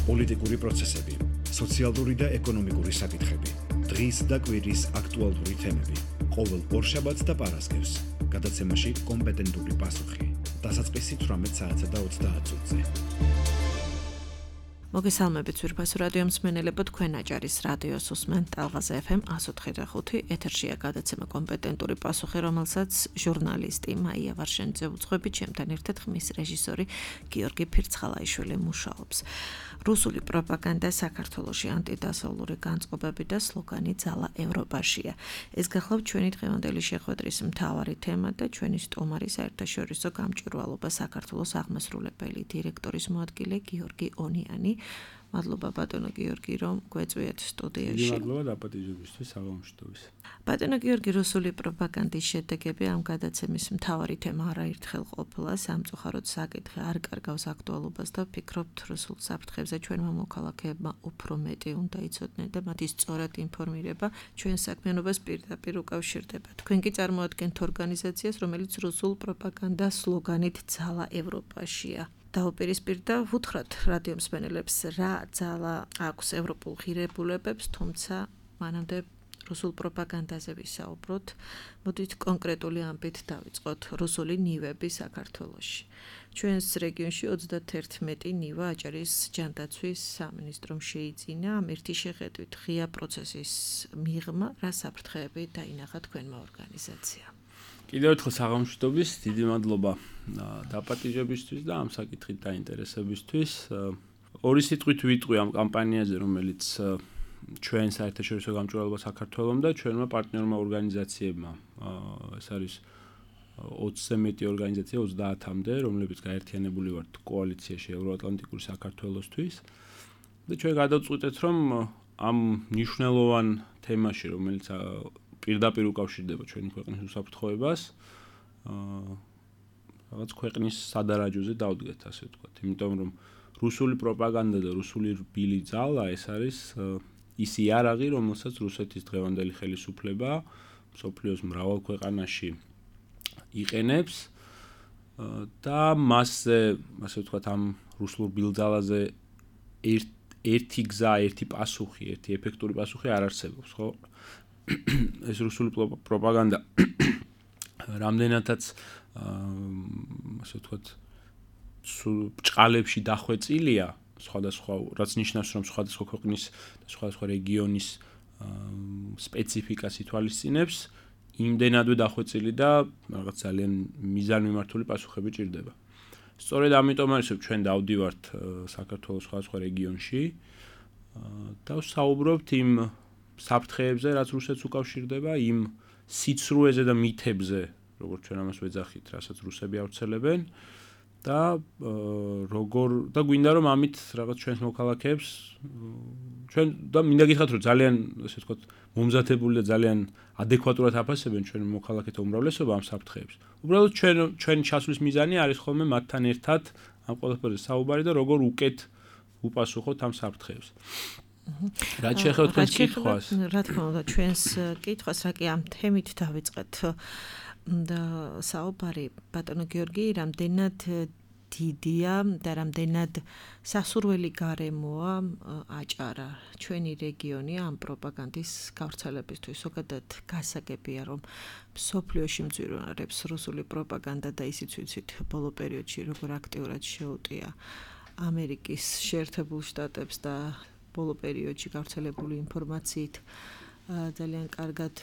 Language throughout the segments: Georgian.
პოლიტიკური პროცესები, სოციალური და ეკონომიკური საკითხები, დღის და კვირის აქტუალური თემები, ყოველ ორშაბათს და პარასკევს, გადაცემაში კომპეტენტური პასუხი, დასაწყისი 18 საათსა და 30 წუთზე. მოგესალმებით ძვირფასო რადიო მსმენელებო, თქვენ აჭარის რადიოს უსმენთ ტალღაზე FM 104.5. ეთერშია გადაცემა კომპეტენტური პასუხი, რომელსაც ჟურნალისტი მაია ვარშენიძე უძღვებით, ჩემთან ერთად ხმის რეჟისორი გიორგი ფირცხალაიშვილი მუშაობს. რუსული პროპაგანდა საქართველოში, ანტიდასავლური განწყობები და სლოგანი ძალა ევროპაშია. ეს გახლავთ ჩვენი დღევანდელი შეხვედრის მთავარი თემა და ჩვენი სტუმარი საერთაშორისო გამჭვირვალობა საქართველოს აღმასრულებელი დირექტორის მოადგილე გიორგი ონიანი. მადლობა ბატონო გიორგი, რომ გვეწვიეთ სტუდიაში. მადლობა დაპატიჟებისთვის, საღამოშტოვის. ბატონო გიორგი, რუსული პროპაგანდის შედეგები ამ გადაცემის მთავარი თემა არაერთხელ ყოფილა. სამწუხაროდ საკითხი არ კარგავს აქტუალობას და ვფიქრობთ, რუსულ საფრთხეებზე ჩვენმა მოქალაქეებმა უფრო მეტი უნდა იცოდნენ და მათი სწორად ინფორმირება ჩვენ საქმიანობას პირდაპირ უკავშირდება. თქვენ კი წარმოადგენთ ორგანიზაციას, რომელიც რუსულ პროპაგანდას სლოგანით ძალა ევროპაშია. დაუპირისპირდა ვუთხრათ რადიო მსმენელებს, რა ძალა აქვს ევროპულ ღირებულებებს, თუმცა მანამდე რუსულ პროპაგანდაზე ვისაუბროთ. მოდით კონკრეტული ამბით დავიწყოთ. რუსული ნივები საქართველოში. ჩვენს რეგიონში 31 ნივა აჭარის ჯანდაცვის სამინისტრომ შეიძინა. ერთი შეხედვით ღია პროცესის მიღმა, რა საფრთხეები დაინახა თქვენმა ორგანიზაციამ. კიდევ ერთხელ საღამოშტოვის, დიდი მადლობა დაპატიჟებისთვის და ამ საკითხით დაინტერესებისთვის. ორი სიტყვით ვიტყვი ამ კამპანიაზე, რომელიც ჩვენ საერთაშორისო გამჭვირვალობა საქართველოს და ჩვენმა პარტნიორმა ორგანიზაციებმა. ეს არის 20-ზე მეტი ორგანიზაცია 30-მდე, რომლებიც გაერთიანებული ვართ კოალიციაში ევროატლანტიკური საქართველოსთვის. და ჩვენ გადავწყვიტეთ, რომ ამ მნიშვნელოვან თემაში, რომელიც პირდაპირ უკავშირდება ჩვენი ქვეყნის უსაფრთხოებას, რაღაც ქვეყნის სადარაჯოზე დავდგეთ, ასე ვთქვათ. იმიტომ რომ რუსული პროპაგანდა და რუსული რბილი ძალა ეს არის ის იარაღი, რომელსაც რუსეთის დღევანდელი ხელისუფლება მსოფლიოს მრავალ ქვეყანაში იყენებს და მასზე, ასე ვთქვათ, ამ რუსულ რბილ ძალაზე ერთი გზა, ერთი პასუხი, ერთი ეფექტური პასუხი არ არსებობს, ხო? ეს რუსული პროპაგანდა რამდენადაც ასე ვთქვათ ბჭყალებში დახვეწილია, სხვადასხვა, რაც ნიშნავს, რომ სხვადასხვა ქვეყნის და სხვადასხვა რეგიონის სპეციფიკას ითვალისწინებს, იმდენადვე დახვეწილი და რაღაც ძალიან მიზანმიმართული პასუხები ჭირდება. სწორედ ამიტომ არის ჩვენ დავდივართ საქართველოს სხვადასხვა რეგიონში და ვსაუბრობთ იმ საფრთხეებზე, რაც რუსეთს უკავშირდება, იმ სიცრუეზე და მითებზე, როგორც ჩვენ ამას ვეძახით, რასაც რუსები ავრცელებენ და და გვინდა რომ ამით რაღაც ჩვენს მოქალაქეებს ჩვენ და მინდა გითხრათ, რომ ძალიან, ასე ვთქვათ, მომზადებული და ძალიან ადეკვატურად აფასებენ ჩვენ მოქალაქეთა უმრავლესობა ამ საფრთხეებს. უბრალოდ ჩვენ ჩასვლის მიზანი არის ხოლმე მათთან ერთად ამ ყველაფერზე საუბარი და როგორ უკეთ უპასუხოთ ამ საფრთხეებს. რაც შეეხება თქვენს კითხვას. რა თქმა უნდა, ჩვენს კითხვას, რა კი ამ თემით დავიწყეთ და საუბარი, ბატონო გიორგი, რამდენად დიდია და რამდენად სასურველი გარემოა აჭარა, ჩვენი რეგიონი ამ პროპაგანდის გავრცელებისთვის. ზოგადად გასაგებია, რომ მსოფლიოში მძვირვარებს რუსული პროპაგანდა და ისიც ვიცით ბოლო პერიოდში როგორ აქტიურად შეუტია ამერიკის შეერთებულ შტატებს და ბოლო პერიოდში გავრცელებული ინფორმაციით ძალიან კარგად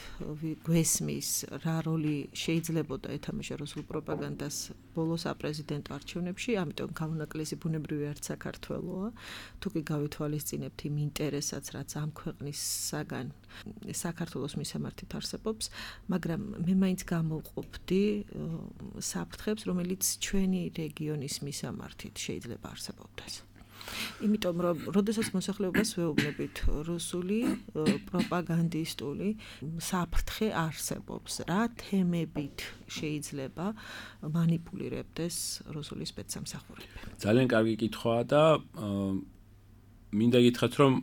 გვესმის, რა როლი შეიძლებოდა ეთამაშა რუსულ პროპაგანდას ბოლო საპრეზიდენტო არჩევნებში, ამიტომ გამონაკლისი ბუნებრივი არც საქართველოა. თუ კი გავითვალისწინებთ იმ ინტერესსაც, რაც ამ ქვეყნისაგან საქართველოს მისამართით არსებობს, მაგრამ მე მაინც გამოვყოფდი საფრთხებს, რომელიც ჩვენი რეგიონის მისამართით შეიძლება არსებობდეს. იმიტომ რომ როდესაც მოსახლეობას ვეუბნებით რუსული პროპაგანდისტული საფრთხე არსებობს, რა თემებით შეიძლება მანიპულირებდეს რუსული სპეცსამსახურები. ძალიან კარგი კითხვაა და მინდა გითხრათ, რომ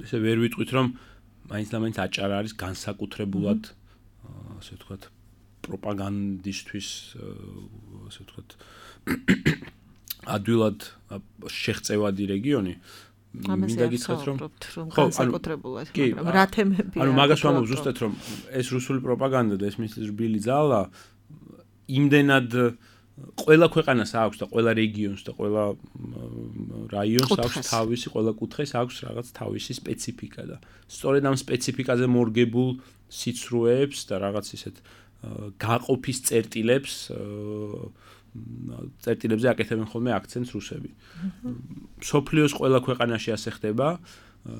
ესე ვერ ვიტყვით, რომ მაინც და მაინც აჭარა არის განსაკუთრებულად ასე ვთქვათ პროპაგანდისტვის ასე ვთქვათ ადვილად შეღწევადი რეგიონი. მინდა გითხრათ რომ განსაკუთრებულად, მაგრამ რა თემებია? ანუ მაგას ვამბობ ზუსტად რომ ეს რუსული პროპაგანდა და ეს მის რბილი ძალა იმდენად ყველა ქვეყანას აქვს და ყველა რეგიონს და ყველა რაიონს აქვს თავისი, ყველა კუთხეს აქვს რაღაც თავისი სპეციფიკა და სწორედ ამ სპეციფიკაზე მორგებულ სიცრუეებს და რაღაც ისეთ გაყოფის წერტილებზე აკეთებენ ხოლმე აქცენტს რუსები. მსოფლიოს ყველა ქვეყანაში ასე ხდება.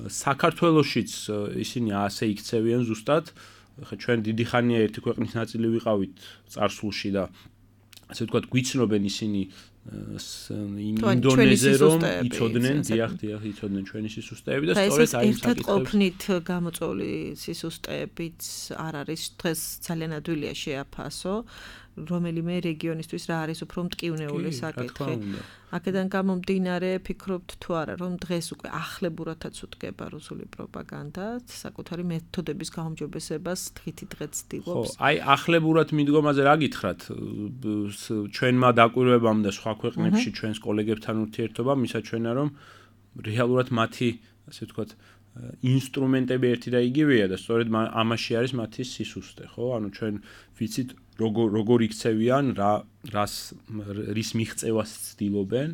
საქართველოშიც ისინი ასე იქცევიან ზუსტად. ხა ჩვენ დიდი ხანია ერთი ქვეყნის ნაწილი ვიყავით წარსულში და ასე ვთქვათ გვიცნობენ ისინი ინდონეზე რომ იცოდნენ, იცოდნენ ჩვენი სისუსტეები და სწორედ აი ამ საკითხებს ყოფნით გამოწვეული სისუსტეებიც არ არის დღეს ძალიან ადვილია შეაფასო რომელიმე რეგიონისთვის რა არის უფრო მტკივნეული საკითხი. აქედან გამომდინარე ფიქრობთ თუ არა რომ დღეს უკვე ახლებურათაც უდგება რუსული პროპაგანდა საკუთარი მეთოდების გაუმჯობესებას დღითი დღე ცდილობს. ხო, აი ახლებურად მიდგომაზე რა გითხრათ? ჩვენმა დაკვირვებამ და სხვა ქვეყნებში ჩვენს კოლეგებთან ურთიერთობამ მისაჩვენა რომ რეალურად მათი ასე ვთქვათ ინსტრუმენტები ერთი და იგივეა და სწორედ ამაში არის მათი სისუსტე, ხო? ანუ ჩვენ ვიცით როგორ იქცევიან, რის მიღწევას ცდილობენ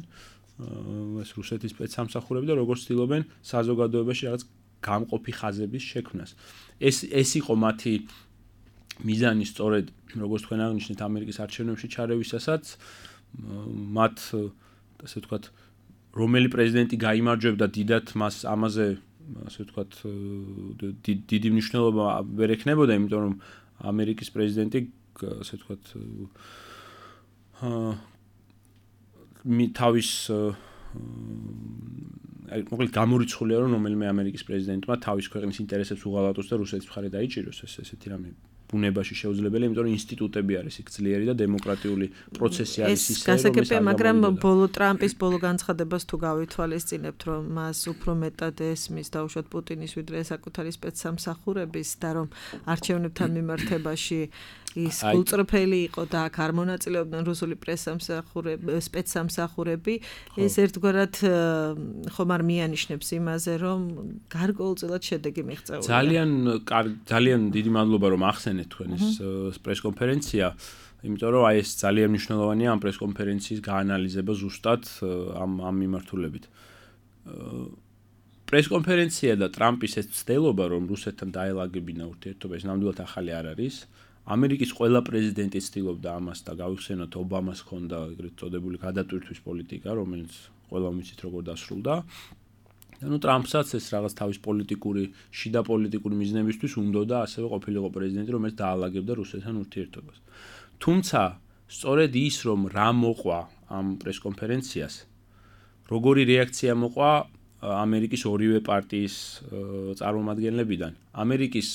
ეს რუსეთის სპეცსამსახურები და როგორ ცდილობენ საზოგადოებაში რაღაც გამყოფი ხაზების შექმნას. ეს იყო მათი მიზანი სწორედ როგორც თქვენ აღნიშნეთ ამერიკის არჩევნებში ჩარევისასაც მათ ასე ვთქვათ რომელი პრეზიდენტი გაიმარჯვებდა დიდად მას ამაზე ასე ვთქვათ დიდი მნიშვნელობა ვერ ექნებოდა, იმიტომ რომ ამერიკის პრეზიდენტი ასე ვთქვათ თავის მოკლედ გამორიცხულია რომ რომელიმე ამერიკის პრეზიდენტმა თავის ქვეყნის ინტერესებს უღალატოს და რუსეთის მხარე დაიჭიროს ესეთი რამე ბუნებაში შეუძლებელია, იმიტომ რომ ინსტიტუტები არის იქ ძლიერი და დემოკრატიული პროცესი არის ისე, რომ გასაგებია, მაგრამ ტრამპის ბოლო განცხადებას თუ გავითვალისწინებთ, რომ მას უფრო მეტად ესმის დაუშვათ პუტინის ვიდრე საკუთარი სპეცსამსახურების და რომ არჩევნებთან მიმართებაში ის გულწრფელი იყო და აქ არ მონაწილეობდნენ რუსული სპეცსამსახურები, ეს ერთგვარად ხომ არ მიანიშნებს იმაზე, რომ გარკვეულწილად შედეგი მიღწეულია. ძალიან დიდი მადლობა რომ ახსენეთ თქვენ ეს პრესკონფერენცია, იმიტომ რომ აი ეს ძალიან მნიშვნელოვანია ამ პრესკონფერენციის გაანალიზება ზუსტად ამ მიმართულებით. პრესკონფერენცია და ტრამპის ეს ცდელობა რომ რუსეთთან დაელაგებინა ურთიერთობა ეს ნამდვილად ახალი არ არის. ამერიკის ყველა პრეზიდენტი ცდილობდა ამას და გავიხსენოთ ობამას ჰქონდა ეგრეთ წოდებული გადატვირთვის პოლიტიკა, რომელიც ყველამ ვიცით როგორ დასრულდა. ანუ ტრამპსაც ეს რაღაც თავის შიდა პოლიტიკური მიზნებისთვის უნდოდა ასევე ყოფილიყო პრეზიდენტი, რომელიც დაალაგებდა რუსეთთან ურთიერთობას. თუმცა სწორედ ის რომ რა მოყვა ამ პრესკონფერენციას, როგორი რეაქცია მოყვა ამერიკის ორივე პარტიის წარმომადგენლებიდან, ამერიკის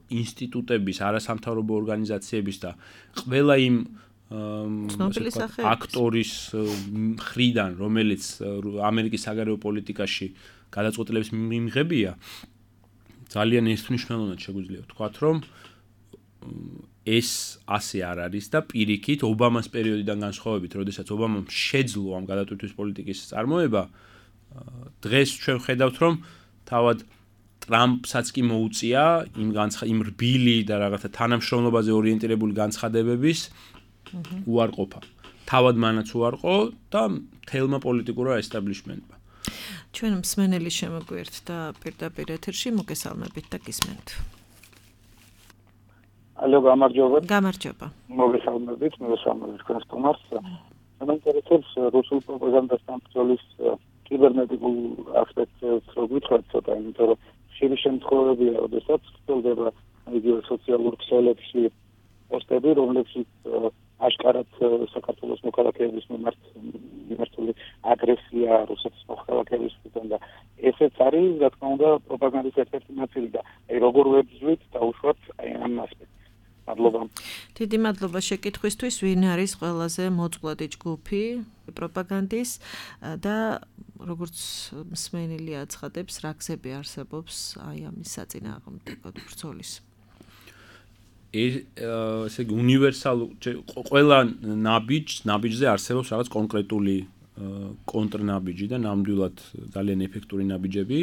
ინსტიტუტების, არასამთავრობო ორგანიზაციების და ყველა იმ აქტორის მხრიდან, რომელიც ამერიკის საგარეო პოლიტიკაში გადაწყვეტილების მიმღებია, ძალიან ერთმნიშვნელოვნად შეგვიძლია ვთქვათ, რომ ეს ასე არ არის და პირიქით ობამას პერიოდიდან განსხვავებით, როდესაც ობამამ შეძლო ამ გადატვირთვის პოლიტიკის წარმოება, დღეს ჩვენ ხედავთ, რომ თავად ტრამპსაც კი მოუწია იმ რბილი და რაღაცა თანამშრომლობაზე ორიენტირებული განცხადებების უარყოფა. თავად მანაც უარყო და თელმა პოლიტიკურმა ესტაბლიშმენტმა. ჩვენ მსმენელი შემოგვიერთ და პირდაპირ ეთერში მოგესალმებით და გისმენთ. ალო, გამარჯობა. გამარჯობა. მოგესალმებით თქვენს სტუმარს. მაინტერესებს რუსულ პროპაგანდასთან ბრძოლის კიბერნეტიკულ ასპექტს რო გითხრათ ცოტა, იმიტომ რომ ხშირი შემთხვევებია, როდესაც ხდება იგივე სოციალურ ქსელებში პოსტები, რომლებშიც აშკარად საქართველოს მოქალაქეების მიმართული აგრესია რუსეთის მოქალაქეებისგან და ესეც არის, რა თქმა უნდა, პროპაგანდის ერთ-ერთი ნაწილი და აი როგორ ვებრძვით დაუშვათ აი ამ ასპექტს. მადლობა. დიდი მადლობა შეკითხვისთვის, ვინ არის ყველაზე მოწყვლადი ჯგუფი პროპაგანდის და როგორც მსმენელი აცხადებს, რა გზები არსებობს აი ამის საწინააღმდეგო ბრძოლის. ესე იგი უნივერსალურ ყველა ნაბიჯზე არსებობს რაღაც კონკრეტული კონტრნაბიჯი და ნამდვილად ძალიან ეფექტური ნაბიჯები.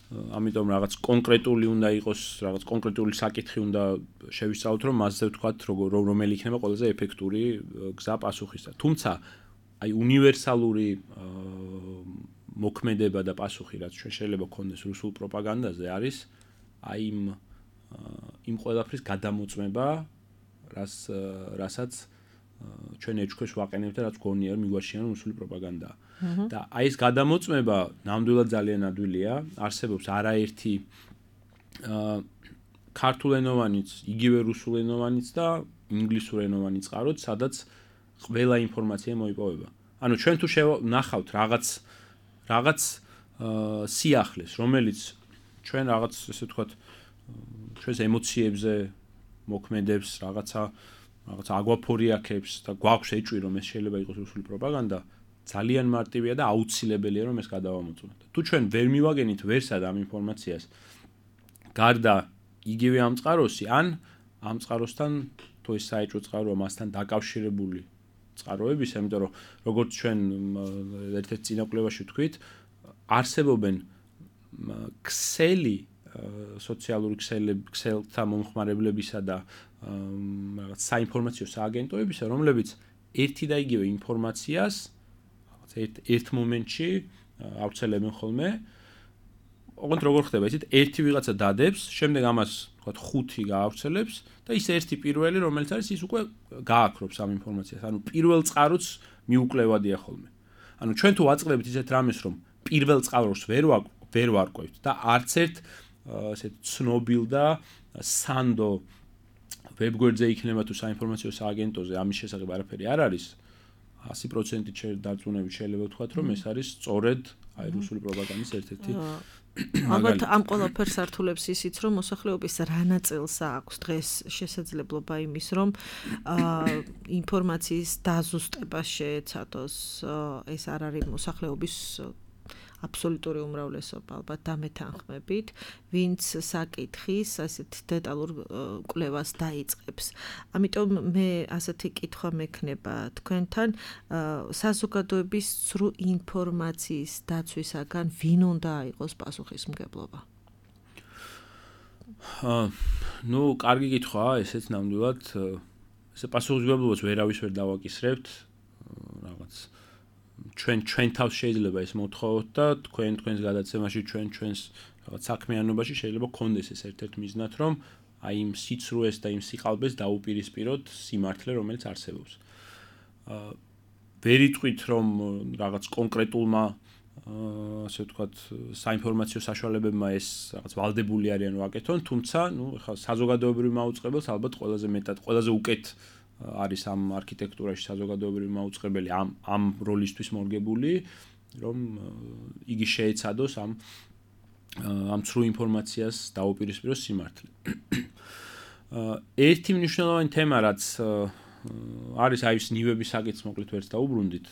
ამიტომ რაღაც კონკრეტული უნდა იყოს, რაღაც კონკრეტული საკითხი უნდა შევისწავლოთ, რომ მასზე ვთქვათ, რომელი იქნება ყველაზე ეფექტური გზა პასუხისა. თუმცა აი უნივერსალური მოქმედება და პასუხი, რაც ჩვენ შეიძლება გქონდეს რუსულ პროპაგანდაზე, არის აი იმ ყველაფრის გადამოწმება, რასაც ჩვენ ეჭქვეშ ვაყენებთ და რაც გონია რომ მიგვაჩნია რომ რუსული პროპაგანდაა. და აი ეს გადამოწმება ნამდვილად ძალიან ადვილია. არსებობს არაერთი ქართულენოვანიც, იგივე რუსულენოვანიც და ინგლისურენოვანი წყაროც, სადაც ყველა ინფორმაცია მოიპოვება. ანუ ჩვენ თუ ნახავთ რაღაც სიახლეს, რომელიც ჩვენ რაღაც ესე ვთქვათ ჩვენს ემოციებზე მოქმედებს, რაღაცა აგვაფორიაქებს და გვაქვს ეჭვი რომ ეს შეიძლება იყოს რუსული პროპაგანდა, ძალიან მარტივია და აუცილებელია რომ ეს გადავამოწმოთ. თუ ჩვენ ვერ მივაგენით ვერსად ამ ინფორმაციას გარდა იგივე ამ წყაროსი, ან ამ წყაროსთან თუ ეს საეჭვო წყაროა მასთან დაკავშირებული წყაროების, ამიტომ რომ როგორც ჩვენ ერთ-ერთ წინაკვლევაში ვთქვით, არსებობენ ქსელი სოციალური ქსელთა მომხმარებლებისა და რაღაც საინფორმაციო სააგენტოებისა, რომლებიც ერთი და იგივე ინფორმაციას ერთ მომენტში ავრცელებენ ხოლმე. ოღონდ როგორ ხდება ისეთ ერთი ვიღაცა დადებს, შემდეგ ამას ვთქვათ 5 გაავრცელებს და ის ერთი პირველი, რომელიც არის ის უკვე გააქრობს ამ ინფორმაციას. ანუ პირველ წყაროც მიუკლევადია ხოლმე. ანუ ჩვენ თუ ვაწყდებით ისეთ რამეს, რომ პირველ წყაროს ვერ ვარკვევთ და არც ერთ ასეთ ცნობილ და სანდო ვებგვერდზე იქნება თუ საინფორმაციო სააგენტოზე ამის შესახებ არაფერი არ არის, 100% დარწმუნებით შეიძლება ვთქვათ, რომ ეს არის სწორედ აი რუსული პროპაგანდის ერთ-ერთი ალბათ ამ ყველაფერს ართულებს ისიც, რომ მოსახლეობის რა ნაწილს აქვს დღეს შესაძლებლობა იმის, რომ ინფორმაციის დაზუსტება შეეცადოს. ეს არ არის მოსახლეობის აბსოლუტური უმრავლესობა, ალბათ დამეთანხმებით, ვინც საკითხის ასეთ დეტალურ კვლევას დაიწყებს. ამიტომ მე ასეთი კითხვა მექნება თქვენთან, საზოგადოების ცრუ ინფორმაციის დაცვისაგან ვინ უნდა იყოს პასუხისმგებლობა? ნუ, კარგი კითხვაა, ესეც ნამდვილად ესე პასუხისმგებლობას ვერავის ვერ დავაკისრებთ, რაღაც ჩვენ თავს შეიძლება ეს მოთხოვოთ და თქვენს გადაცემაში ჩვენს რაღაც საქმიანობაში შეიძლება გქონდეს ეს ერთ-ერთ მიზნად, რომ აი იმ სიცრუეს და იმ სიყალბეს დაუპირისპიროთ სიმართლე, რომელიც არსებობს. ვერ იტყვით, რომ რაღაც კონკრეტულმა ასე ვთქვათ, საინფორმაციო საშუალებებმა ეს რაღაც ვალდებული არიან ვაკეთონ, თუმცა, ნუ, ეხლა საზოგადოებრივ მაუწყებელს ალბათ ყველაზე მეტად, ყველაზე უკეთ არის ამ არქიტექტურაში საზოგადოებრივი მაუწყებელი ამ როლისთვის მორგებული, რომ იგი შეეცადოს ამ ცრუ ინფორმაციას დაუპირისპიროს სიმართლე. ერთი მნიშვნელოვანი თემა, რაც არის აი ეს ნივების საკითხს მოკლედ ვერც დაუბრუნდით.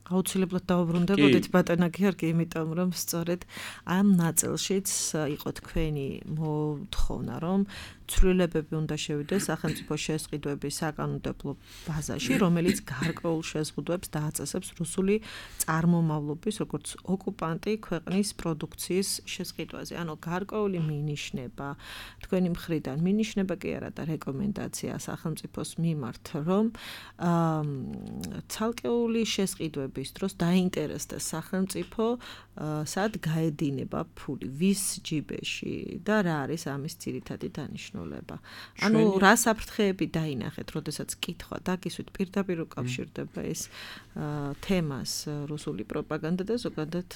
აუცილებლად დავუბრუნდებოდით ბატონა გიორგი, იმიტომ რომ სწორედ ამ ნაწილშიც იყო თქვენი მოთხოვნა, რომ ცვლილებები უნდა შევიდეს სახელმწიფო შესყიდვების საკანონმდებლო ბაზაში, რომელიც გარკვეულ შეზღუდვებს დააწესებს რუსული წარმომავლობის, როგორც ოკუპანტი ქვეყნის პროდუქციის შესყიდვაზე. ანუ გარკვეული მინიშნება, თქვენი მხრიდან მინიშნება კი არა და რეკომენდაცია სახელმწიფოს მიმართ, რომ ცალკეული შესყიდვების დროს დაინტერესდეს სახელმწიფო, სად გაედინება ფული, ვის ჯიბეში და რა არის ამის ძირითადი დანიშნულება. ანუ რა საფრთხეები დაინახეთ, როდესაც კითხვა დაგისვით პირდაპირ უკავშირდება ეს თემას რუსული პროპაგანდა და ზოგადად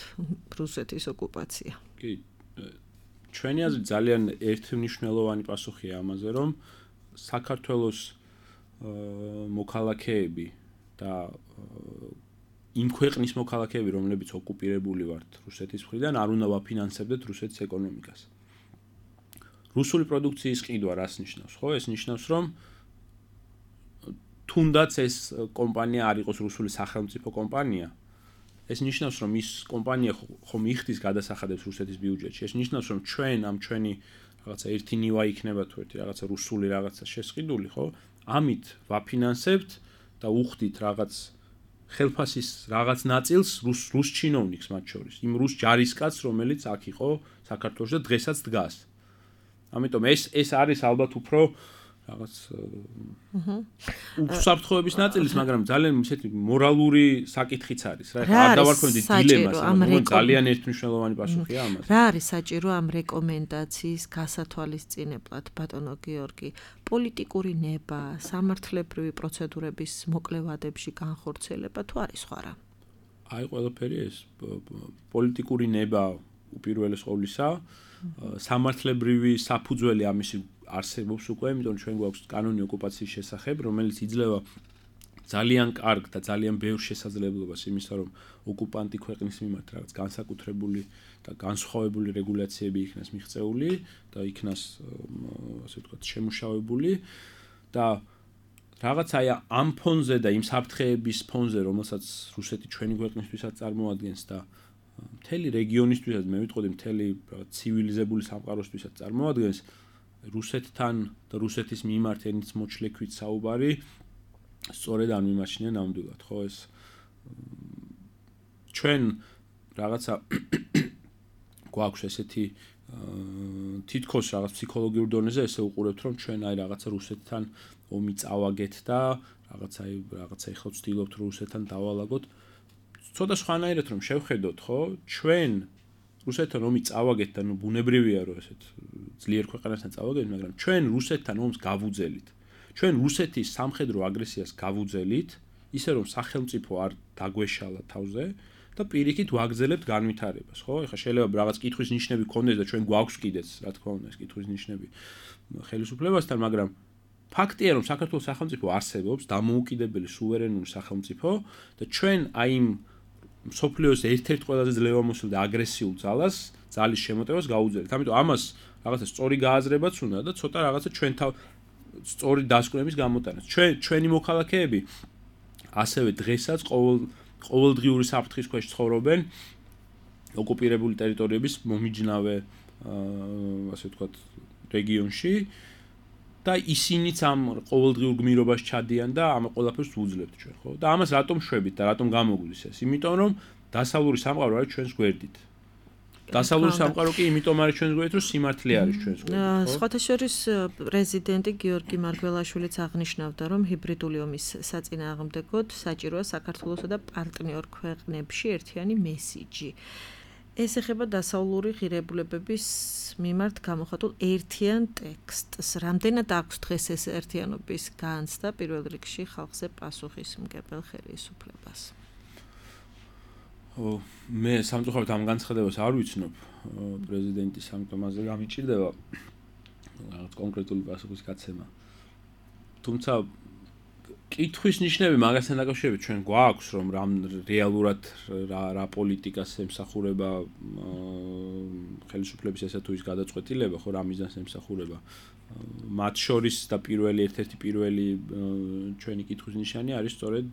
რუსეთის ოკუპაცია. კი, ჩვენი აზრით ძალიან ერთმნიშვნელოვანი პასუხია ამაზე, რომ საქართველოს მოქალაქეები და იმ ქვეყნის მოქალაქეები, რომლებიც ოკუპირებული ვართ რუსეთის მხრიდან, არ უნდა ვაფინანსებდეთ რუსეთის ეკონომიკას. რუსული პროდუქციის ყიდვა რას ნიშნავს, ხო? ეს ნიშნავს, რომ თუნდაც ეს კომპანია არ იყოს რუსული სახელმწიფო კომპანია, ეს ნიშნავს, რომ ის კომპანია ხომ იხდის გადასახადებს რუსეთის ბიუჯეტში. ეს ნიშნავს, რომ ჩვენი რაღაცა ერთი ნივა იქნება თუ ერთი რაღაცა რუსული რაღაცა შესყიდული, ხო? ამით ვაფინანსებთ და უხდით რაღაც ხელფასის რაღაც ნაწილს რუს ჩინოვნიკს მათ შორის, იმ რუს ჯარისკაცს, რომელიც აქ იყო საქართველოში და დღესაც დგას. ამიტომ ეს არის ალბათ უფრო რაღაც უსაფრთხოების ნაწილის, მაგრამ ძალიან ისეთი მორალური საკითხიც არის, რა. არ დავარქვენდი დილემას, მაგრამ ძალიან ერთმნიშვნელოვანი პასუხია ამას. რა არის საჭირო ამ რეკომენდაციის გასათვალისწინებლად, ბატონო გიორგი? პოლიტიკური ნება, სამართლებრივი პროცედურების მოკლევადებში განხორციელება თუ არის სხვა რა? აი ყველაფერი ეს პოლიტიკური ნება უპირველეს ყოვლისა, სამართლებრივი საფუძველი ამისი არსებობს უკვე, იმიტომ ჩვენ გვაქვს კანონი ოკუპაციის შესახებ, რომელიც იძლევა ძალიან კარგ და ძალიან ბევრ შესაძლებლობას იმისა, რომ ოკუპანტი ქვეყნის მიმართ რაღაც განსაკუთრებული და განსხვავებული რეგულაციები იქნას მიღწეული და იქნას ასე ვთქვათ შემუშავებული და რაღაც აი ამ ფონზე და იმ საფრთხეების ფონზე, რომელსაც რუსეთი ჩვენი ქვეყნისთვისაც წარმოადგენს და მთელი რეგიონისთვისაც მე ვიტყოდი მთელი ცივილიზებული სამყაროსთვისაც წარმოადგენს რუსეთთან და რუსეთის მიმართ ენით მოჩლექვით საუბარი სწორედ ამ მიმაჩნია ნამდვილად, ხო ეს ჩვენ რაღაცა გვაქვს ესეთი თითქოს რაღაც ფსიქოლოგიურ დონეზე ესე უყურებთ, რომ ჩვენ აი რაღაცა რუსეთთან ომი წავაგეთ და რაღაცა ეხლა ვცდილობთ რუსეთთან დავალაგოთ. ცოტა სხვანაირად რომ შევხედოთ, ხო, ჩვენ რუსეთთან ომი წავაგეთ და ნუ ბუნებრივია რომ ესეთ ძლიერ ქვეყანასთან წავაგეთ, მაგრამ ჩვენ რუსეთთან ომს გავუძელით. ჩვენ რუსეთის სამხედრო აგრესიას გავუძელით, ისე რომ სახელმწიფო არ დაგვეშალა თავზე და პირიქით ვაგზელებთ განვითარებას, ხო? ეხლა შეიძლება რაღაც კითხვის ნიშნები გქონდეს და ჩვენ გვაქვს კიდეც, რა თქმა უნდა, ეს კითხვის ნიშნები ხელისუფლებასთან, მაგრამ ფაქტია რომ საქართველოს სახელმწიფო არსებობს, დამოუკიდებელი სუვერენული სახელმწიფო და ჩვენ აი იმ მსოფლიოს ერთ-ერთ ყველაზე ძლევამოსილ და აგრესიულ ძალის შემოტევას გაუძლებთ. ამიტომ ამას რაღაცა სწორი გააზრებაც უნდა და ცოტა რაღაცა ჩვენ სწორი დასკვნების გამოტანაც. ჩვენი მოქალაქეები ასევე დღესაც ყოველდღიური საფრთხის ქვეშ ცხოვრობენ ოკუპირებული ტერიტორიების მომიჯნავე ასე ვთქვათ რეგიონში და ისინიც ამ ყოველდღიურ გმირობაში ჩადიან და ამ ყველაფერს უძლებთ ჩვენ, ხო? და ამას რატომ შვებით და რატომ გამოგვდის ეს? იმიტომ რომ დასავლური სამყარო არის ჩვენს გვერდით. დასავლური სამყარო კი იმიტომ არის ჩვენს გვერდით, რომ სიმართლე არის ჩვენს გვერდით, ხო? სხვათა შორის პრეზიდენტი გიორგი მარგველაშვილიც აღნიშნავდა, რომ ჰიბრიდული ომის საწინააღმდეგოდ საჭიროა საქართველოსა და პარტნიორ ქვეყნებში ერთიანი მესიჯი. ეს ეხება დასავლური ღირებულებების მიმართ გამოხატულ ერთიან ტექსტს. რამდენად აქვს დღეს ეს ერთიანობის განცდა პირველ რიგში ხალხზე პასუხისმგებელ ხელისუფლებას? მე სამწუხაროდ ამ განცხადებას არ ვიცნობ, პრეზიდენტის ამ თემაზე გამიჭირდება რაღაც კონკრეტული პასუხის გაცემა. თუმცა კითხვის ნიშნები მაგასთან დაკავშირებით ჩვენ გვაქვს, რომ რეალურად რა პოლიტიკას ემსახურება ხელისუფლების ესა თუ ის გადაწყვეტილება, ხო, რა მიზანს ემსახურება. მათ შორის და ერთ-ერთი პირველი ჩვენი კითხვის ნიშანი არის სწორედ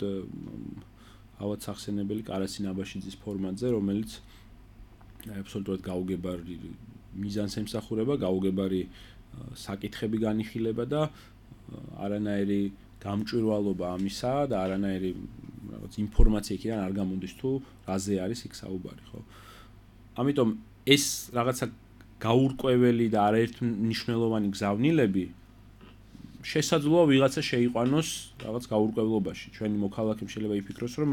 ავად სახსენებელი კარასინ აბაშიძის ფორმატზე, რომელიც აბსოლუტურად გაუგებარი მიზანს ემსახურება, გაუგებარი საკითხები განიხილება და არანაირი გამჭვირვალობა ამისა და არანაირი რაღაც ინფორმაცია იქიდან არ გამოდის თუ რაზე არის იქ საუბარი, ხო? ამიტომ ეს რაღაცა გაურკვეველი და არაერთმნიშვნელოვანი გზავნილები შესაძლოა ვიღაცა შეიყვანოს რაღაც გაურკვევლობაში. ჩვენი მოქალაქემ შეიძლება იფიქროს, რომ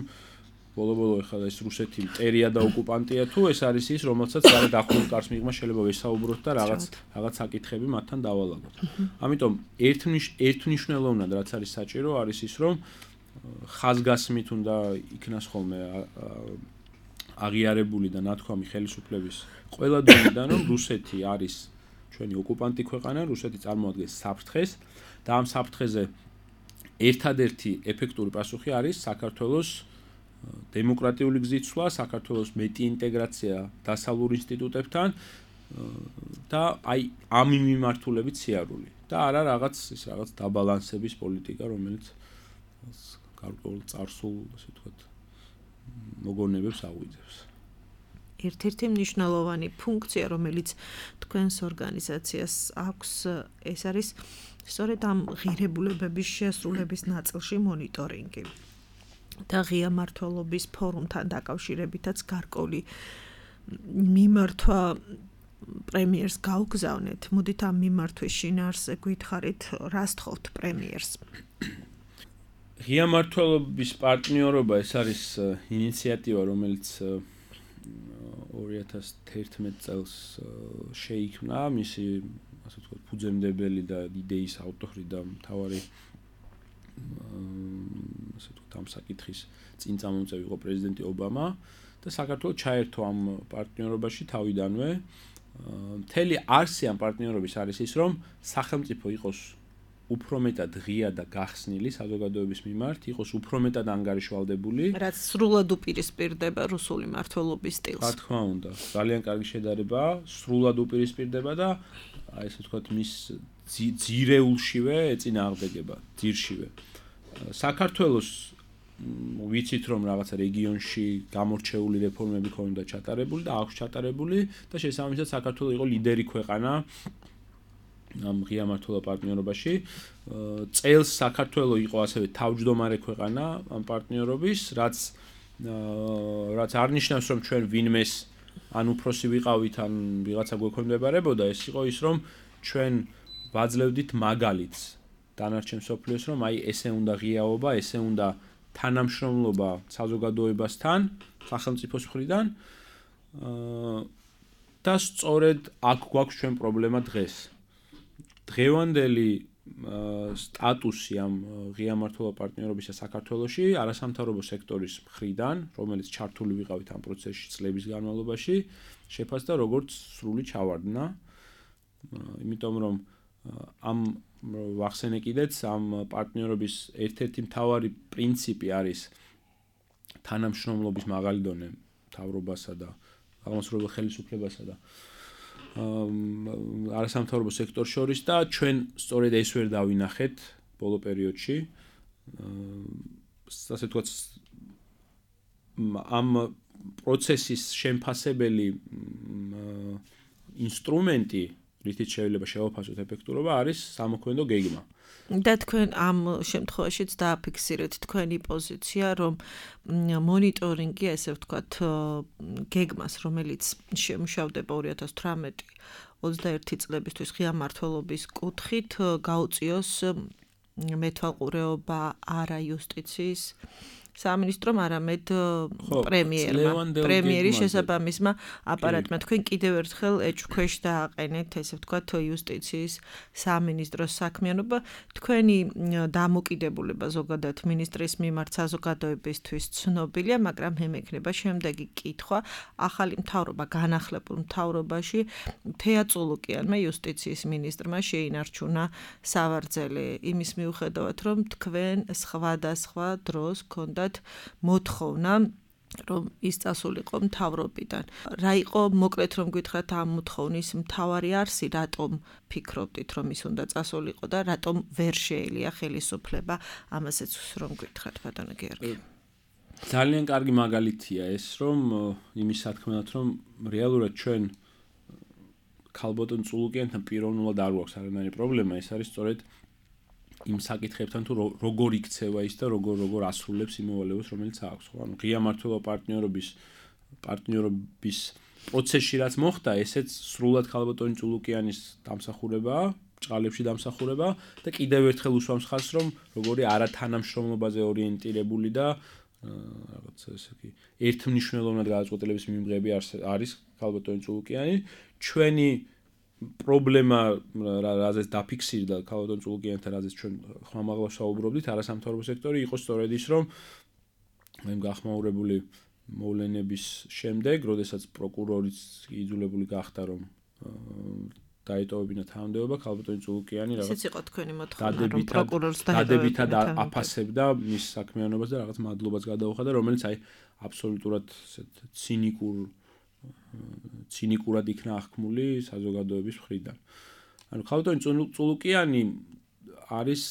ბოლო-ბოლო ეხლა ეს რუსეთი მტერია და ოკუპანტია თუ ეს არის ის, რომელსაც არა დახურულ კარს მიღმა შეიძლება ვესაუბროთ და რაღაც საკითხები მათთან დავალაგოთ. ამიტომ ერთმნიშვნელოვნად რაც არის საჭირო არის ის, რომ ხაზგასმით უნდა იქნას ხოლმე აღიარებული და ნათქვამი ხელისუფლების ყველა დონიდან, რომ რუსეთი არის ჩვენი ოკუპანტი ქვეყანა, რუსეთი წარმოადგენს საფრთხეს და ამ საფრთხეზე ერთადერთი ეფექტური პასუხი არის საქართველოს დემოკრატიული გზით სვლა, საქართველოს მეტი ინტეგრაცია დასავლურ ინსტიტუტებთან და აი ამ მიმართულებით სიარული და არა რაღაც დაბალანსების პოლიტიკა, რომელიც გარკვეულ წარსულ, ასე ვთქვათ, მოგონებებს აღვიძებს. ერთ-ერთი მნიშვნელოვანი ფუნქცია, რომელიც თქვენს ორგანიზაციას აქვს, ეს არის სწორედ ამ ღირებულებების შესრულების ნაწილში მონიტორინგი. და ღია მმართველობის ფორუმთან დაკავშირებითაც გარკვეული მიმართვა პრემიერს გაუგზავნეთ. მოდით ამ მიმართვის შინაარსზე გითხარით, რას თხოვთ პრემიერს? ღია მმართველობის პარტნიორობა ეს არის ინიციატივა, რომელიც 2011 წელს შეიქმნა, მისი ასე ვთქვათ, ფუძემდებელი და იდეის ავტორი და მთავარი ასე ვთქვათ, ამ საკითხის წინ წამომწევი იყო პრეზიდენტი ობამა და საქართველოს ჩაერთო ამ პარტნიორობაში თავიდანვე. მთელი არსი ამ პარტნიორობის არის ის, რომ სახელმწიფო იყოს უფრო მეტად ღია და გახსნილი საზოგადოების მიმართ, იყოს უფრო მეტად ანგარიშვალდებული, რაც სრულად უპირისპირდება რუსული მმართველობის სტილს. რა თქმა უნდა, ძალიან კარგი შედარებაა, სრულად უპირისპირდება და აი ესე ვთქვათ, მის ძირეულშივე ეწინააღმდეგება, ძირშივე. საქართველოს ვიცით, რომ რაღაცა რეგიონში გამორჩეული რეფორმები ქონდა ჩატარებული და აქვს ჩატარებული და შესაბამისად საქართველოს იყო ლიდერი ქვეყანა ამ ღია მმართველობა პარტნიორობაში. წელს საქართველოს იყო ასევე თავმჯდომარე ქვეყანა ამ პარტნიორობის, რაც არ ნიშნავს, რომ ჩვენ ვინმეს ან უფროსი ვიყავით, ან ვიღაცა გვექვემდებარებოდა, ეს იყო ის, რომ ჩვენ ვაძლევდით მაგალითს დანარჩენ მსოფლიოს, რომ აი ესე უნდა ღიაობა, ესე უნდა თანამშრომლობა საზოგადოებასთან, სახელმწიფოს მხრიდან და სწორედ აქ გვაქვს ჩვენ პრობლემა დღეს. დღევანდელი სტატუსი ამ ღია მმართველობა პარტნიორობისა საქართველოში არასამთავრობო სექტორის მხრიდან, რომელიც ჩართული ვიყავით ამ პროცესში წლების განმავლობაში, შეფასდა როგორც სრული ჩავარდნა. იმიტომ რომ ამ ვახსენე კიდეც ამ პარტნიორობის ერთ-ერთი მთავარი პრინციპი არის თანამშრომლობის მაღალი დონე მთავრობასა და აღმასრულებელ ხელისუფლებასა და არასამთავრობო სექტორს შორის და ჩვენ სწორედ ეს ვერ დავინახეთ ბოლო პერიოდში. ასე ვთქვათ, ამ პროცესის შემფასებელი ინსტრუმენტი, რითიც შეიძლება შევაფასოთ ეფექტურობა, არის სამოქმედო გეგმა. და თქვენ ამ შემთხვევაშიც დააფიქსირეთ თქვენი პოზიცია, რომ მონიტორინგი, ესე ვთქვათ, გეგმას, რომელიც შემუშავდება 2018-21 წლებისთვის ღია მმართველობის კუთხით, გაუწიოს მეთვალყურეობა არა იუსტიციის სამინისტრომ, არამედ პრემიერმა, პრემიერის შესაბამისმა აპარატმა. თქვენ კიდევ ერთხელ ეჭვქვეშ დააყენეთ, ესე ვთქვათ, იუსტიციის სამინისტროს საქმიანობა. თქვენი დამოკიდებულება ზოგადად მინისტრის მიმართ საზოგადოებისთვის ცნობილია, მაგრამ მე მექნება შემდეგი კითხვა. ახალი მთავრობა, განახლებულ მთავრობაში თეა წულუკიანმა იუსტიციის მინისტრმა შეინარჩუნა სავარძელი იმის მიუხედავად, რომ თქვენ სხვადასხვა დროს გქონდა მოთხოვნა, რომ ის წასულიყო მთავრობიდან. რა იყო, მოკლედ რომ გითხრათ, ამ მოთხოვნის მთავარი არსი, რატომ ფიქრობდით, რომ ის უნდა წასულიყო და რატომ ვერ შეელია ხელისუფლება, ამასაც რომ გითხრათ, ბატონო გიორგი. ძალიან კარგი მაგალითია ეს, რომ იმის სათქმელად, რომ რეალურად ჩვენ ქალბატონ წულუკიანთან პიროვნულად არ გვაქვს არანაირი პრობლემა, ეს არის სწორედ იმ საკითხებთან, თუ როგორ იქცევა ის და როგორ ასრულებს იმ მოვალეობას, რომელიც აქვს. ხო, ანუ ღია მმართველობა პარტნიორობის პროცესში რაც მოხდა, ესეც სრულად ქალბატონი წულუკიანის დამსახურებაა, ჭყალებში დამსახურება და კიდევ ერთხელ უსვამს ხაზს, რომ როგორი არათანამშრომლობაზე ორიენტირებული და რაღაცა ესე იგი ერთმნიშვნელოვნად გადაწყვეტილების მიმღები არის ქალბატონი წულუკიანი. ჩვენი პრობლემა, რაზეც დაფიქსირდა ქალბატონ წულუკიანთან, რაზეც ჩვენ ხმამაღლა საუბრობდით, არასამთავრობო სექტორი იყო სწორედ ის, რომ მე გახმაურებული მოვლენების შემდეგ, როდესაც პროკურორიც იძულებული გახდა, რომ დაეტოვებინა თანამდებობა, ქალბატონი წულუკიანი რაღაც იყო თქვენი მოთხოვნა, რომ პროკურორს დადებითად აფასებდა მის საქმიანობას და რაღაც მადლობას გადაუხადა, რომელიც აი აბსოლუტურად ცინიკურად იქნა აღქმული საზოგადოების მხრიდან. ანუ ქალბატონი წულუკიანი არის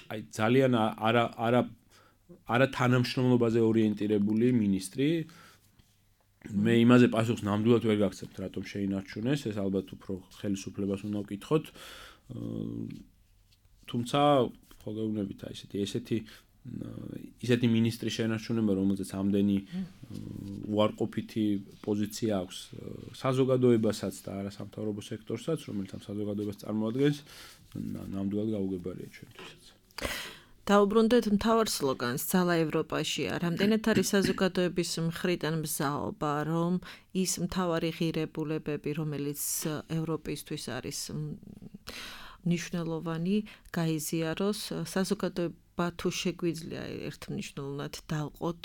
აი ძალიან არა თანამშრომლობაზე ორიენტირებული მინისტრი. მე იმაზე პასუხს ნამდვილად ვერ გაგცემთ, რატომ შეინარჩუნეს, ეს ალბათ უფრო ხელისუფლებას უნდა ვკითხოთ. თუმცა ხოლმეუნებით აი ისეთი მინისტრი შენარჩუნება, რომელზეც ამდენი უარყოფითი პოზიცია აქვს საზოგადოებასაც და არასამთავრობო სექტორსაც, რომელიც ამ საზოგადოებას წარმოადგენს, ნამდვილად გაუგებარია ჩვენთვისაც. დაუბრუნდეთ მთავარ სლოგანს ძალა ევროპაშია. რამდენად არის საზოგადოების მხრიდან მზაობა, რომ ის მთავარი ღირებულებები, რომელიც ევროპისთვის არის მნიშვნელოვანი, გაიზიაროს, საზოგადოება თუ შეგვიძლია ერთმნიშვნელოვნად დავყოთ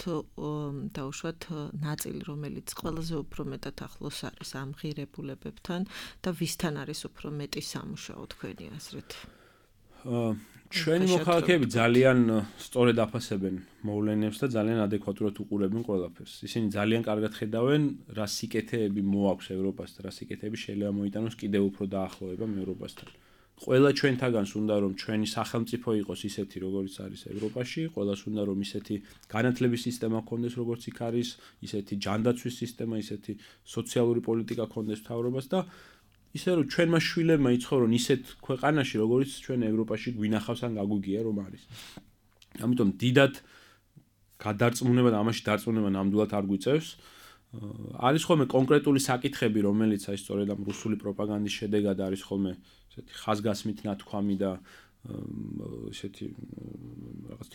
დაუშვათ ნაწილი, რომელიც ყველაზე უფრო მეტად ახლოს არის ამ ღირებულებებთან და ვისთან არის უფრო მეტი სამუშაო თქვენი აზრით? ჩვენი მოქალაქეები ძალიან სწორედ აფასებენ მოვლენებს და ძალიან ადეკვატურად უყურებენ ყველაფერს. ისინი ძალიან კარგად ხედავენ, რა სიკეთეები მოაქვს ევროპას და რა სიკეთეები შეიძლება მოიტანოს კიდევ უფრო დაახლოებამ ევროპასთან. ყველა ჩვენთაგანს უნდა რომ ჩვენი სახელმწიფო იყოს ისეთი, როგორიც არის ევროპაში, ყველას უნდა რომ ისეთი განათლების სისტემა გქონდეს, როგორც იქ არის, ისეთი ჯანდაცვის სისტემა, ისეთი სოციალური პოლიტიკა გქონდეს მთავრობას და ისე რომ ჩვენმა შვილებმა იცხოვრონ ისეთ ქვეყანაში, როგორც ჩვენ ევროპაში გვინახავს ან გაგვიგია რომ არის. ამიტომ დიდად გადარწმუნება და ამაში დარწმუნება ნამდვილად არ გვიწევს. არის ხოლმე კონკრეტული საკითხები, რომელიც აი სწორედ ამ რუსული პროპაგანდის შედეგად არის ხოლმე ესეთი ხაზგასმით ნათქვამი და ესეთი რაღაც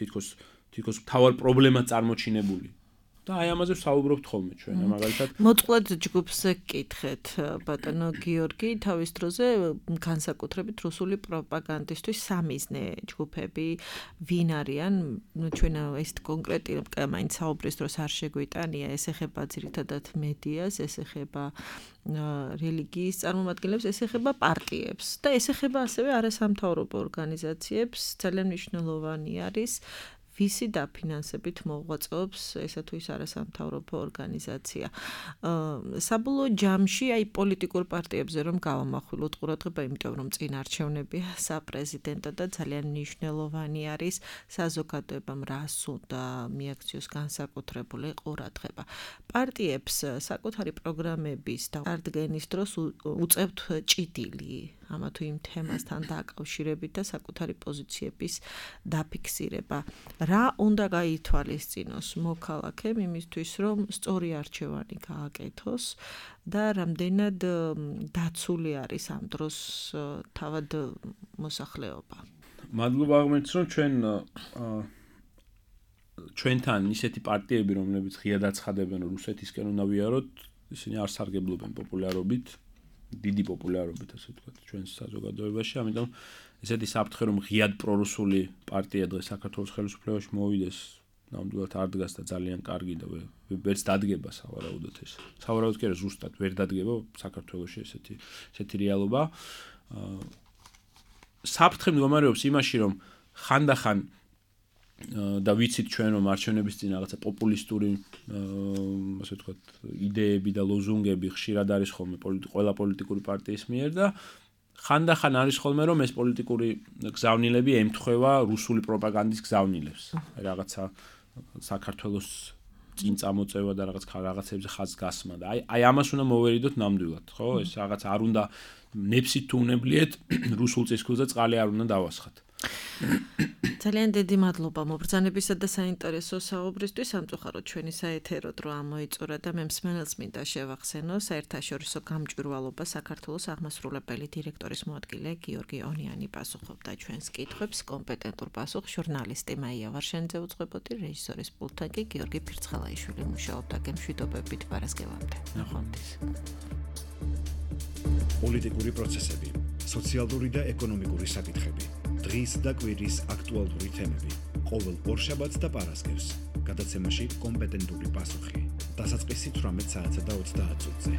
თითქოს მთავარ პრობლემა წარმოჩინებული. და აი ამაზე ვსაუბრობთ ხოლმე ჩვენ, მაგალითად. მოწყვლად ჯგუფს გკითხეთ, ბატონო გიორგი, თავის დროზე განსაკუთრებით რუსული პროპაგანდისტვის სამიზნე ჯგუფები ვინ არიან? ჩვენ ეს კონკრეტი მაინც საუბრის დროს არ შეგვიტანია, ეს ეხება ძირითადად მედიას, ეს ეხება რელიგიის წარმომადგენლებს, ეს ეხება პარტიებს და ეს ეხება ასევე არასამთავრობო ორგანიზაციებს. ძალიან მნიშვნელოვანი არის ვისი დაფინანსებით მოღვაწეობს ესა თუ ის არასამთავრობო ორგანიზაცია. საბოლოო ჯამში აი პოლიტიკურ პარტიებზე რომ გავამახვილოთ ყურადღება, იმიტომ რომ წინ არჩევნებია საპრეზიდენტო და ძალიან მნიშვნელოვანი არის საზოგადოებამ რას უნდა მიაქციოს განსაკუთრებული ყურადღება. პარტიებს საკუთარი პროგრამების და წარდგენის დროს უწევთ ჭიდილი ამა თუ იმ თემასთან დაკავშირებით და საკუთარი პოზიციების დაფიქსირება. რა უნდა გაითვალისწინოს მოქალაქემ იმისთვის, რომ სწორი არჩევანი გააკეთოს და რამდენად დაცული არის ამ დროს თავად მოსახლეობა? მადლობა აღმერთს, რომ ჩვენთან ისეთი პარტიები, რომლებიც ღიად აცხადებენ, რომ რუსეთისკენ უნდა ვიაროთ, ისინი არ სარგებლობენ პოპულარობით. დიდი პოპულარობით, ასე ვთქვათ, ჩვენს საზოგადოებაში, ამიტომ ესეთი საფრთხე, რომ ღიად პრორუსული პარტია დღეს საქართველოს ხელისუფლებაში მოვიდეს, ნამდვილად არ დგას და ძალიან კარგი და ვერც დადგება სავარაუდოდ ეს. სავარაუდოდ კი არა, ზუსტად ვერ დადგება საქართველოში ესეთი რეალობა. საფრთხე მდგომარეობს იმაში, რომ ხანდახან და ვიცით ჩვენ რომ არჩევნების წინ რაღაცა პოპულისტური ასე ვთქვათ იდეები და ლოზუნგები ხშირად არის ხოლმე ყველა პოლიტიკური პარტიის მიერ და ხანდახან არის ხოლმე რომ ეს პოლიტიკური გზავნილები ემთხვევა რუსული პროპაგანდის გზავნილებს. რაღაცა საქართველოს წინ წამოწევა და რაღაცებზე ხაზგასმა და აი ამას უნდა მოვერიდოთ ნამდვილად, ხო? ეს რაღაც არ უნდა ნებსით თუ უნებლიეთ რუსულ წისქვილზე წყალი არ უნდა დავასხათ. ძალიან დიდი მადლობა მობრძანებისა და საინტერესო საუბრისთვის. სამწუხაროდ ჩვენი საეთერო დრო ამოიწურა და მე მსმენელს მინდა შევახსენო საერთაშორისო გამჭვირვალობა საქართველოს აღმასრულებელი დირექტორის მოადგილე გიორგი ონიანი პასუხობდა ჩვენს კითხვებს. კომპეტენტურ პასუხს ჟურნალისტი მაია ვარშენიძე უძღვებოდი, რეჟისორის პულტთან კი გიორგი ფირცხალაიშვილი მუშაობდა. გემშვიდობებით პარასკევამდე. ნახვამდის. პოლიტიკური პროცესები, სოციალური და ეკონომიკური საკითხები. დღის და კვირის აქტუალური თემები. ყოველ ორშაბათს და პარასკევს. გადაცემაში კომპეტენტური პასუხი. დასაწყისი 18 საათსა და 30 წუთზე.